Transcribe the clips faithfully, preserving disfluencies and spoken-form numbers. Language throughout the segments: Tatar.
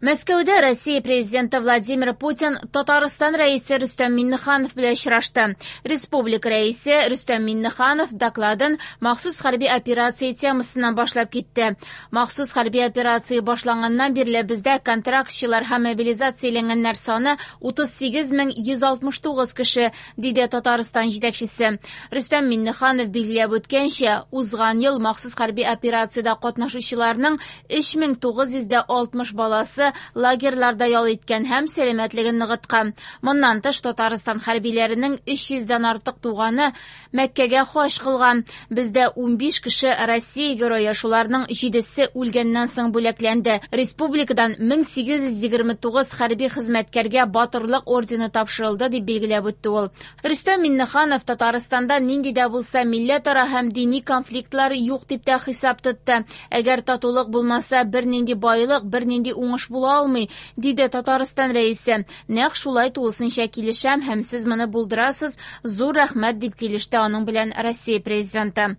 Мәскәүдә Россия президенты Владимир Путин Татарстан рәисе Рөстәм Миңнеханов белән очрашты. Республика рәисе Рөстәм Миңнеханов докладын махсус хәрби операция темасыннан башлап китте. Махсус хәрби операция башланганнан бирле бездә контрактчылар һәм мобилизацияләнгәннәр саны утыз сигез мең йөз алтмыш тугыз кеше, диде Татарстан җитәкчесе. Рөстәм Миңнеханов билгеләп үткәнчә, узган ел махсус хәрби операциядә катнашучыларның өч мең тугыз йөз дә алтмыш баласы лагерьларда ял иткән һәм сәламәтлеген ныгыткан. Моннан тыш Татарстан хәрбиләренең өч йөздән артык туганы Мәккәгә хаҗ кылган. Бездә унбиш кеше Россия герое, шуларның җидесе үлгәннән соң бүләкләнде. Республикадан мең сигез йөз егерме тугыз хәрби хезмәткәргә батырлык ордены тапшырылды, дип билгеләп үтте ул. Рөстәм Миңнеханов Татарстанда нинди дә булса милләтара һәм дини конфликтлар юк дип тә хисап тотты. Әгәр татулык булмаса, бернинди байлык, бернинди уңыш була алмый, диде Татарстан рәисе. Нәкъ шулай тулысынча килешәм һәм сез моны булдырасыз, зур рәхмәт, дип килеште аның белән Россия президенты.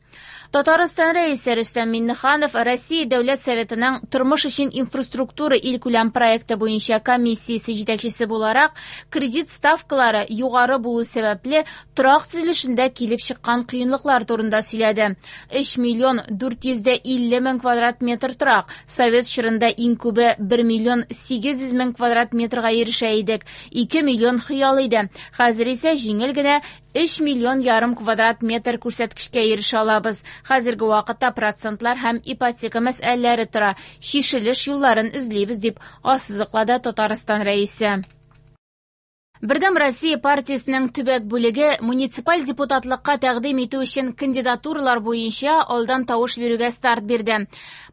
Татарстан рәисе Рөстәм Миңнеханов Россия Дәүләт Советының тормыш өчен инфраструктура илкүләм проекты буенча комиссиясе җитәкчесе буларак, кредит ставкалары югары булу сәбәпле торак төзелешендә килеп чыккан кыенлыклар турында сөйләде. Өч миллион дүрт йөз дә илле мең квадрат метр торак, совет чорында иң күбе бер миллион сигез йөз мең квадрат метрга ирешә идек, ике миллион хыял иде. Хәзер исә җиңел генә өч миллион ярым квадрат метр күрсәткечкә ирешә алабыз. Хәзерге вакытта процентлар һәм ипотека мәсьәләләре тора. Чишелеш юлларын эзлибез, дип ассызыклады Татарстан рәисе. Бердәм Россия партиясенең төбәк бүлеге муниципаль депутатлыкка тәкъдим итү өчен кандидатуралар буенча алдан тавыш бирүгә старт бирде.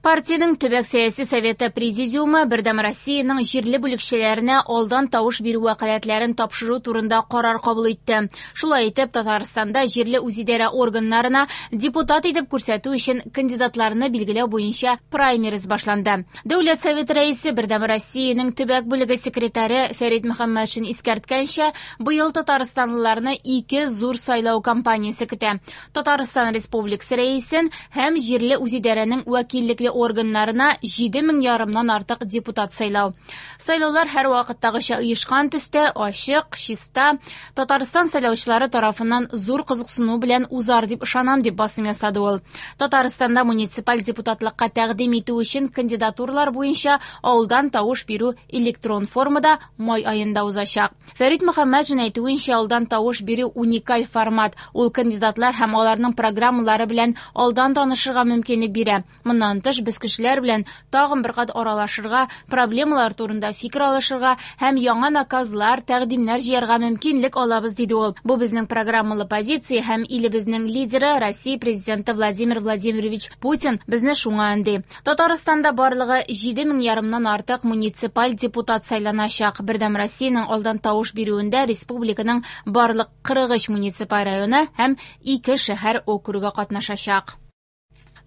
Партиянең төбәк сәяси советы президиумы Бердәм Россиянең җирле бүлекчәләренә алдан тавыш бирү вәкаләтләрен тапшыру турында карар кабул итте. Шулай итеп, Татарстанда җирле үзидарә органнарына депутат итеп күрсәтү өчен кандидатларны билгеләү буенча праймериз башланды. Дәүләт Советы рәисе Бердәм Россиянең төбәк бүлеге секретаре Фәрит Мөхәммәтшин искәрткәнчә, быел татарстанлыларны ике зур сайлау кампаниясе көтә. Татарстан Республикасы рәисен һәм җирле үзидарәнең вәкиллекле органнарына җиде мең ярымнан артык депутат сайлау. Сайлаулар һәр вакыттагыча оешкан төстә, ачык, чиста, Татарстан сайлаучылары тарафыннан зур кызыксыну белән узар дип ышанам, дип басым ясады ул. Татарстанда муниципаль депутатлыкка тәкъдим итү өчен кандидатуралар буенча алдан тавыш бирү электрон формада май аенда узачак. Фәрит Мөхәммәтшин әйтүенчә, алдан тавыш бирү уникаль формат. Ул кандидатлар һәм аларның программалары белән алдан танышырга мөмкинлек бирә. Моннан тыш, без кешеләр белән тагын бер кат аралашырга, проблемалар турында фикер алышырга һәм яңа наказлар, тәкъдимнәр җыярга мөмкинлек алабыз, диде ул. Бу безнең программалы позиция һәм илебезнең лидеры Россия президенты Владимир Владимирович Путин безне шуңа өнди. Татарстанда барлыгы җиде мең ярымнан артык муниципаль депутат сайланачак. Бердәм Россиянең алдан тавыш бирүендә республиканың барлык кырык өч муниципаль районы һәм ике шәһәр округы катнашачак.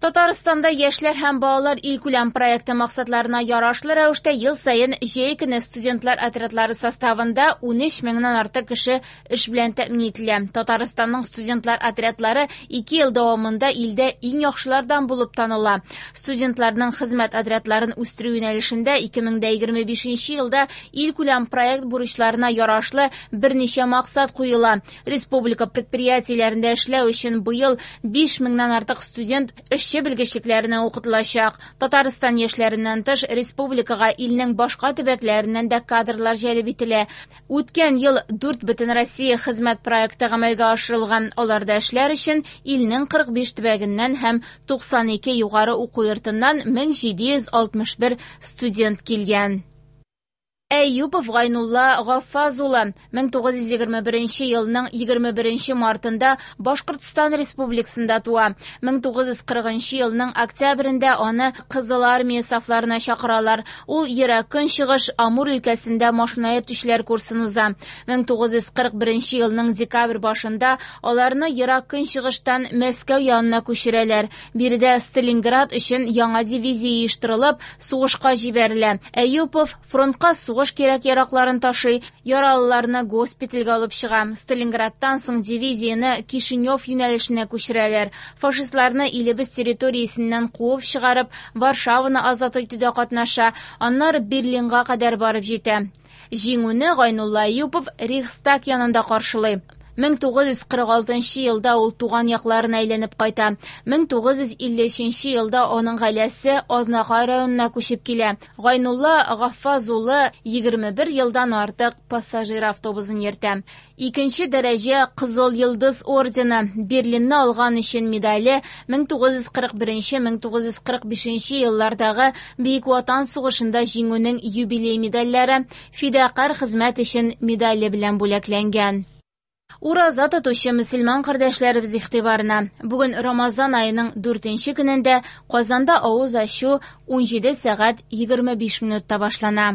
Татарстанда яшьләр һәм балалар илкүләм проекты максатларына ярашлы рәвештә ел саен җәй көне студентлар отрядлары составында унөч меңнән артык кеше эш белән тәэмин ителә. Татарстанның студентлар отрядлары ике ел дәвамында илдә иң яхшылардан булып таныла. Студентларның хезмәт отрядларын үстерү юнәлешендә ике мең дә егерме бишенче елда илкүләм проект бурычларына ярашлы берничә максат куела. Республика предприятиеләрендә эшләү өчен быел биш меңнән артык студент эш белгечлекләренә укытылачак. Татарстан яшьләреннән тыш республикага илнең башка төбәкләреннән дә кадрлар җәлеп ителә. Үткән ел дүрт бөтен Россия хезмәт проекты гамәлгә ашырылган. Аларда эшләр өчен илнең кырык биш төбәгеннән һәм туксан ике югары уку йортыннан мең җиде йөз алтмыш бер студент килгән. Әюпов Гайнулла Гаффаз улы мең тугыз йөз егерме беренче елның егерме беренче мартында Башкортстан Республикасында туа. Мең тугыз йөз кырыгынчы елның октябрендә аны Кызыл Армия сафларына чакыралар. Ул Ерак Көнчыгыш Амур өлкәсендә машина йөртүчеләр курсын уза. Мең тугыз йөз кырык беренче елның декабрь башында аларны Ерак Көнчыгыштан Мәскәү янына күчерәләр. Биредә Сталинград өчен яңа дивизия оештырылып, сугышка җибәрелә. Әюпов фронтка сугыш сугыш кирәк-яракларын ташый, яралыларны госпитальгә алып чыга. Сталинградтан соң дивизияне Кишинев юнәлешенә күчерәләр. Фашистларны илебез территориясеннән куып чыгарып, Варшаваны азат итүдә катнаша, аннары Берлинга кадәр барып җитә. Җиңүне Гайнулла Әюпов Рейхстаг янында каршылый. мең тугыз йөз кырык алтынчы елда ул туган якларына әйләнеп кайта. мең тугыз йөз илле өченче елда аның гаиләсе Азнакай районына күчеп килә. Гайнулла Гаффаз улы егерме бер елдан артык пассажир автобусын йөртә. Икенче дәрәҗә Кызыл Йолдыз ордены, Берлинны алган өчен медале, мең тугыз йөз кырык беренче, мең тугыз йөз кырык бишенче еллардагы Бөек Ватан сугышында җиңүнең юбилей медальләре, фидакарь хезмәт өчен медале белән бүләкләнгән. Ураза тотучы мөселман кардәшләребез игътибарына. Бүген Рамазан аеның дүртенче көнендә Казанда авыз ачу унҗиде сәгать егерме биш минутта башлана.